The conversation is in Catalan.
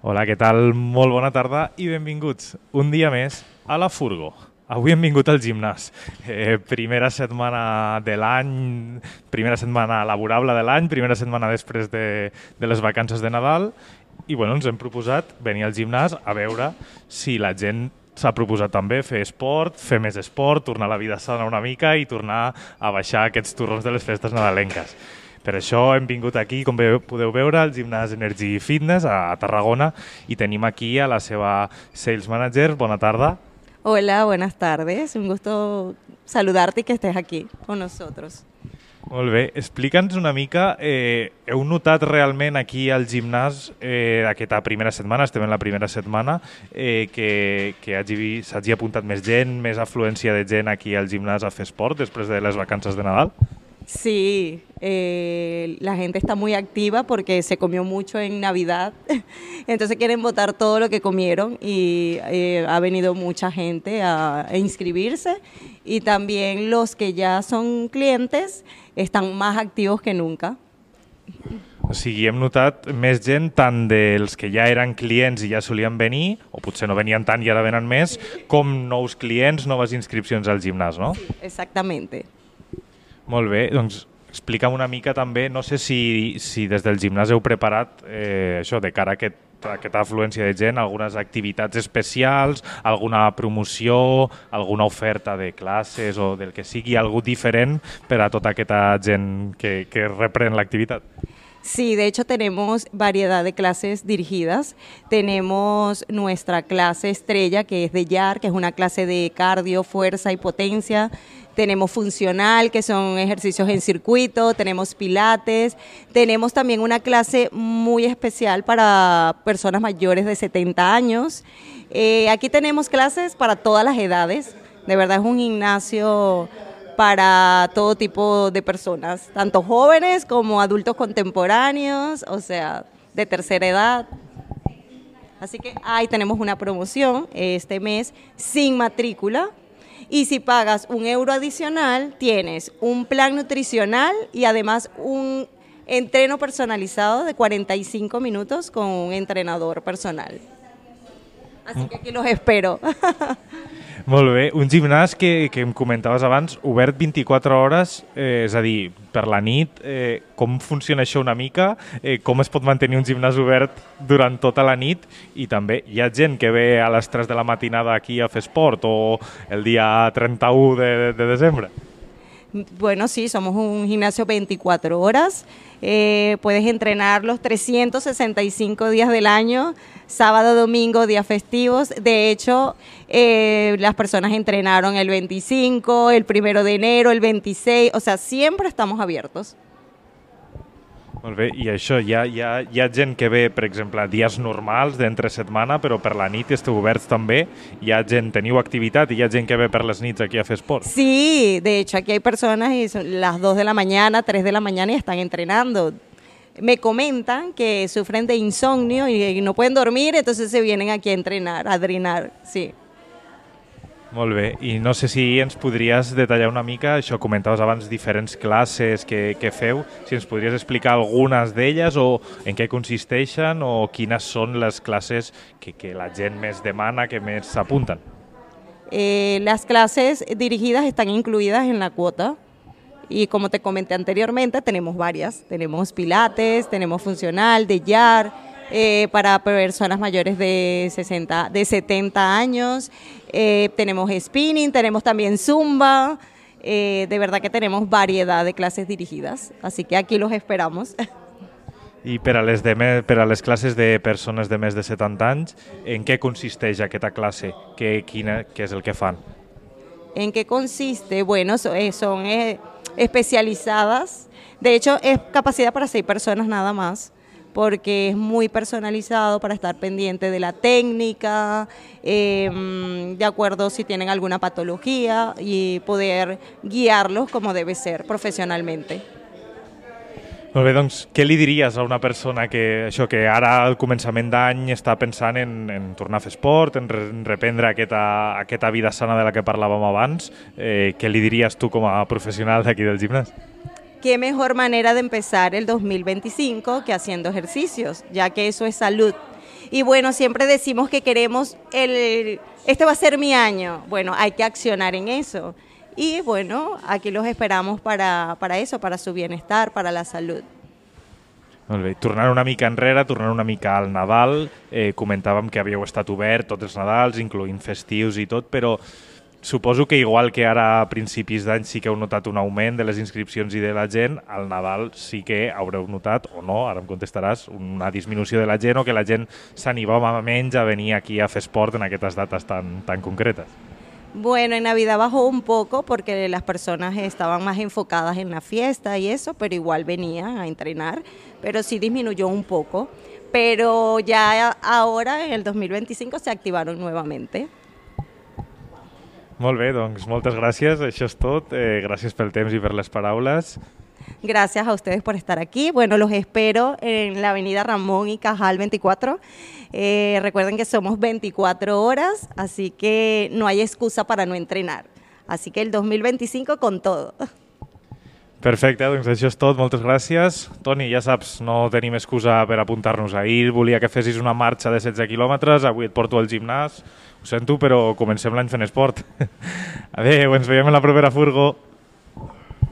Hola, què tal? Molt bona tarda i benvinguts un dia més a la Furgo. Avui hem vingut al gimnàs. Primera setmana de l'any, primera setmana laborable de l'any, primera setmana després de les vacances de Nadal i bueno, ens hem proposat venir al gimnàs a veure si la gent s'ha proposat també fer esport, fer més esport, tornar a la vida sana una mica i tornar a baixar aquests turrons de les festes nadalenques. Per això hem vingut aquí, com podeu veure, al gimnàs Energy Fitness a Tarragona i tenim aquí a la seva Sales Manager. Bona tarda. Hola, buenas tardes. Un gusto saludarte y que estés aquí con nosotros. Molt bé. Explica'ns una mica, heu notat realment aquí al gimnàs aquesta primera setmana, estem en la primera setmana, que s'hagi apuntat més gent, més afluència de gent aquí al gimnàs a fer esport després de les vacances de Nadal? Sí, la gente está muy activa porque se comió mucho en Navidad, entonces quieren botar todo lo que comieron y ha venido mucha gente a inscribirse y también los que ya son clientes están más activos que nunca. O sigui, hem notat més gent tant dels que ja eren clients i ja solien venir, o potser no venien tant i ara venen més, com nous clients, noves inscripcions al gimnàs, no? Sí, exactamente. Molt bé, doncs explica'm una mica també, no sé si des del gimnàs heu preparat això de cara a aquesta afluència de gent, algunes activitats especials, alguna promoció, alguna oferta de classes o del que sigui, algú diferent per a tota aquesta gent que reprèn l'activitat. Sí, de hecho tenemos variedad de clases dirigidas. Tenemos nuestra clase estrella, que es de YAR, que es una clase de cardio, fuerza y potencia. Tenemos funcional, que son ejercicios en circuito. Tenemos pilates. Tenemos también una clase muy especial para personas mayores de 70 años. Aquí tenemos clases para todas las edades. De verdad es un gimnasio para todo tipo de personas, tanto jóvenes como adultos contemporáneos, o sea, de tercera edad. Así que ahí tenemos una promoción este mes sin matrícula y si pagas €1 adicional tienes un plan nutricional y además un entreno personalizado de 45 minutos con un entrenador personal. Así que aquí los espero. Molt bé, un gimnàs que em comentaves abans, obert 24 hores, és a dir, per la nit, com funciona això una mica, com es pot mantenir un gimnàs obert durant tota la nit i també hi ha gent que ve a les 3 de la matinada aquí a fer esport o el dia 31 de desembre? Bueno, sí, somos un gimnasio 24 horas, puedes entrenar los 365 días del año, sábado, domingo, días festivos. De hecho, las personas entrenaron el 25, el 1 de enero, el 26, o sea, siempre estamos abiertos. Molt bé, i això, hi ha gent que ve, per exemple, dies normals d'entre setmana, però per la nit esteu oberts també, hi ha gent, teniu activitat i hi ha gent que ve per les nits aquí a fer esport? Sí, de hecho, aquí hay personas y son las 2 de la mañana, 3 de la mañana y están entrenando. Me comentan que sufren de insomnio y no pueden dormir, entonces se vienen aquí a entrenar, a drenar, sí. Molt bé, i no sé si ens podries detallar una mica, això comentaves abans, diferents classes que feu, si ens podries explicar algunes d'elles o en què consisteixen o quines són les classes que la gent més demana, que més s'apunten. Las clases dirigidas están incluidas en la cuota y como te comenté anteriormente, tenemos varias. Tenemos pilates, tenemos funcional, de YAR, para personas mayores de 70 años, tenemos spinning, tenemos también zumba, de verdad que tenemos variedad de clases dirigidas, así que aquí los esperamos. I per a les classes de persones de més de 70 anys, en què consisteix aquesta classe? Què és el que fan? ¿En qué consiste? Bueno, son especializadas, de hecho es capacidad para 6 personas nada más, porque es muy personalizado para estar pendiente de la técnica, de acuerdo si tienen alguna patología y poder guiarlos como debe ser profesionalmente. Molt bé, doncs què li diries a una persona que ara al començament d'any està pensant en tornar a fer esport, en reprendre aquesta vida sana de la que parlàvem abans? Què li diries tu com a professional d'aquí del gimnàs? qué mejor manera de empezar el 2025 que haciendo ejercicios, ya que eso es salud. Y bueno, siempre decimos que queremos, este va a ser mi año. Bueno, hay que accionar en eso. Y bueno, aquí los esperamos para eso, para su bienestar, para la salud. Molt bé. Tornant una mica enrere, tornant una mica al Nadal, comentàvem que havíeu estat obert tots els Nadals, incloent festius i tot, però suposo que igual que ara a principis d'any sí que heu notat un augment de les inscripcions i de la gent, al Nadal sí que haureu notat, o no, ara em contestaràs, una disminució de la gent o que la gent s'animava menys a venir aquí a fer esport en aquestes dates tan concretes. Bueno, en Navidad bajó un poco porque las personas estaban más enfocadas en la fiesta y eso, pero igual venían a entrenar, pero sí disminuyó un poco. Pero ya ahora, en el 2025, se activaron nuevamente. Molt bé, doncs moltes gràcies, això és tot. Gràcies pel temps i per les paraules. Gracias a ustedes por estar aquí. Bueno, los espero en la avenida Ramón y Cajal 24. Recuerden que somos 24 horas, así que no hay excusa para no entrenar. Así que el 2025 con todo. Perfecte, doncs això és tot, moltes gràcies. Toni, ja saps, no tenim excusa per apuntar-nos ahir, volia que fessis una marxa de 16 quilòmetres, avui et porto al gimnàs, ho sento, però comencem l'any fent esport. Adéu, ens veiem en la propera furgo.